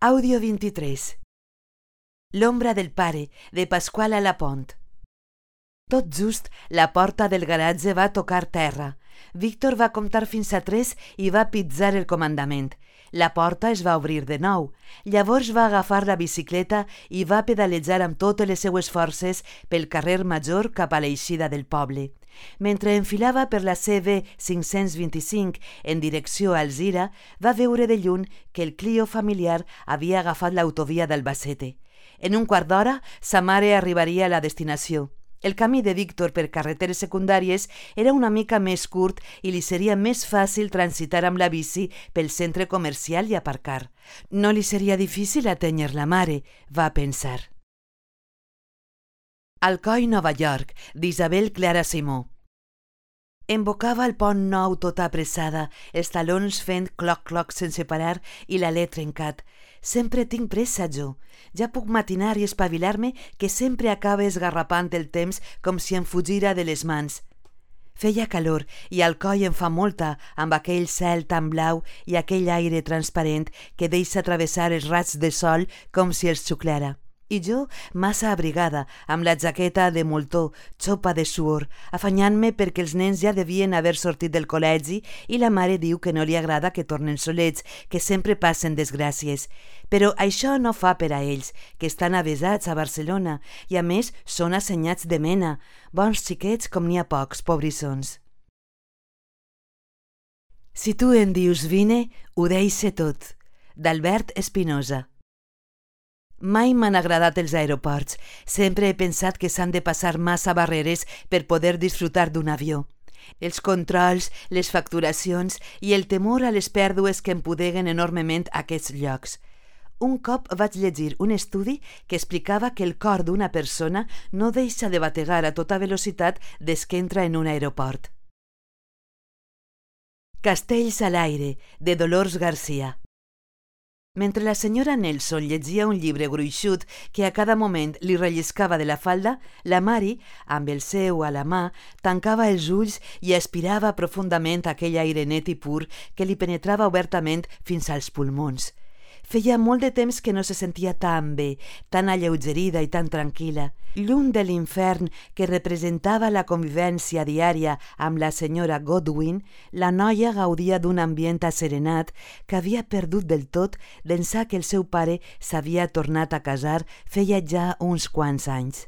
Àudio 23. L'ombra del pare, de Pasquale Lapont. Tot just, la porta del garatge va tocar terra. Víctor va comptar fins a 3 i va pitzar el comandament. La porta es va obrir de nou. Llavors va agafar la bicicleta i va pedalejar amb totes les seues forces pel carrer Major cap a l'eixida del poble. Mentre enfilava per la CV 525 en direcció a Alzira, va veure de lluny que el Clio familiar havia agafat l'autovia d'Albacete. En un quart d'hora, sa mare arribaria a la destinació. El camí de Víctor per carreteres secundàries era una mica més curt i li seria més fàcil transitar amb la bici pel centre comercial i aparcar. No li seria difícil atènyer la mare, va pensar. Alcoi, Nova York, d'Isabel Clara Simó. Embocava el pont nou tota apressada, els talons fent cloc-cloc sense parar i l'alè trencat. Sempre tinc pressa, jo. Ja puc matinar i espavilar-me que sempre acaba esgarrapant el temps com si em fugira de les mans. Feia calor i Alcoi en fa molta amb aquell cel tan blau i aquell aire transparent que deixa travessar els raigs de sol com si els xuclara. I jo, massa abrigada, amb la jaqueta de moltó, xopa de suor, afanyant-me perquè els nens ja devien haver sortit del col·legi i la mare diu que no li agrada que tornen solets, que sempre passen desgràcies. Però això no fa per a ells, que estan avesats a Barcelona i a més són assenyats de mena, bons xiquets com n'hi ha pocs, pobrissons. Si tu em dius vine, ho deixe tot. D'Albert Espinosa. Mai m'han agradat els aeroports. Sempre he pensat que s'han de passar massa barreres per poder disfrutar d'un avió. Els controls, les facturacions i el temor a les pèrdues que empudeguen enormement aquests llocs. Un cop vaig llegir un estudi que explicava que el cor d'una persona no deixa de bategar a tota velocitat des que entra en un aeroport. Castells a l'aire, de Dolors Garcia. Mentre la senyora Nelson llegia un llibre gruixut que a cada moment li relliscava de la falda, la Mari, amb el seu a la mà, tancava els ulls i aspirava profundament aquell aire net i pur que li penetrava obertament fins als pulmons. Feia molt de temps que no se sentia tan bé, tan alleugerida i tan tranquil·la. Lluny de l'infern que representava la convivència diària amb la senyora Godwin, la noia gaudia d'un ambient asserenat que havia perdut del tot d'ençà que el seu pare s'havia tornat a casar feia ja uns quants anys.